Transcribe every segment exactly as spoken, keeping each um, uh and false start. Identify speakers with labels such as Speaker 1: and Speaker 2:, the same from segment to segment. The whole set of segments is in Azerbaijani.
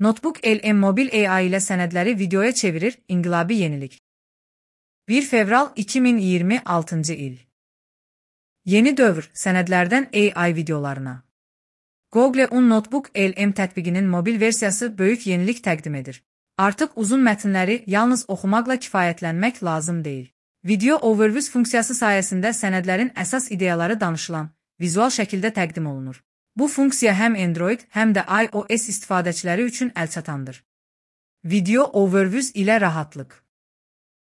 Speaker 1: Notebook L M mobil A I ile sənədləri videoya çevirir, inqilabi yenilik. bir fevral iki min iyirmi altıncı il. Yeni dövr, sənədlərdən A I videolarına. Google On Notebook L M tətbiqinin mobil versiyası böyük yenilik təqdim edir. Artıq uzun mətnləri yalnız oxumaqla kifayətlənmək lazım deyil. Video Overview funksiyası sayəsində sənədlərin əsas ideyaları danışılan, vizual şəkildə təqdim olunur. Bu funksiya həm Android, həm də iOS istifadəçiləri üçün əlçatandır. Video Overview ilə rahatlıq.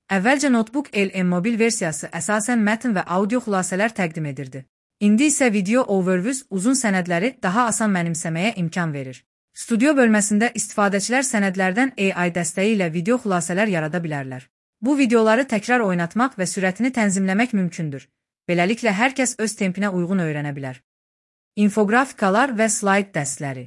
Speaker 1: Əvvəlcə Notebook L M mobil versiyası əsasən mətn və audio xülasələr təqdim edirdi. İndi isə Video Overview uzun sənədləri daha asan mənimsəməyə imkan verir. Studio bölməsində istifadəçilər sənədlərdən A I dəstəyi ilə video xülasələr yarada bilərlər. Bu videoları təkrar oynatmaq və sürətini tənzimləmək mümkündür. Beləliklə, hər kəs öz tempinə uyğun öyrənə bilər. İnfografikalar və slayd dəstləri.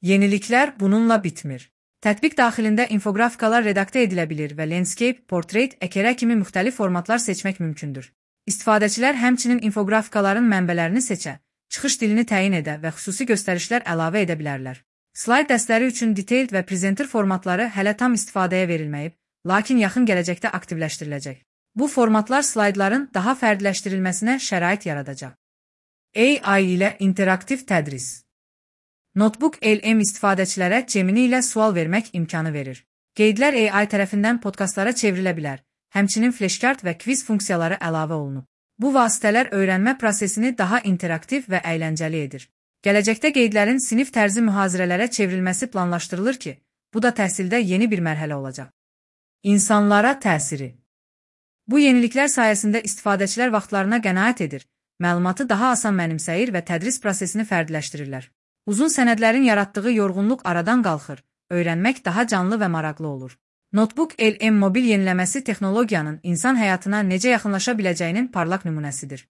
Speaker 1: Yeniliklər bununla bitmir. Tətbiq daxilində infografikalar redaktə edilə bilir və landscape, portrait, əkərə kimi müxtəlif formatlar seçmək mümkündür. İstifadəçilər həmçinin infografikaların mənbələrini seçə, çıxış dilini təyin edə və xüsusi göstərişlər əlavə edə bilərlər. Slayd dəstləri üçün detailed və presenter formatları hələ tam istifadəyə verilməyib, lakin yaxın gələcəkdə aktivləşdiriləcək. Bu formatlar slaydların daha fərdiləşdirilməsinə şərait yaradacaq. A I ilə interaktiv tədris. Notebook L M istifadəçilərə Gemini ilə sual vermək imkanı verir. Qeydlər A I tərəfindən podkastlara çevrilə bilər, həmçinin flashcard və kviz funksiyaları əlavə olunub. Bu vasitələr öyrənmə prosesini daha interaktiv və əyləncəli edir. Gələcəkdə qeydlərin sinif tərzi mühazirələrə çevrilməsi planlaşdırılır ki, bu da təhsildə yeni bir mərhələ olacaq. İnsanlara təsiri. Bu yeniliklər sayəsində istifadəçilər vaxtlarına qənaət edir, məlumatı daha asan mənimsəyir və tədris prosesini fərdiləşdirirlər. Uzun sənədlərin yaratdığı yorğunluq aradan qalxır, öyrənmək daha canlı və maraqlı olur. Notebook L M mobil yeniləməsi texnologiyanın insan həyatına necə yaxınlaşa biləcəyinin parlaq nümunəsidir.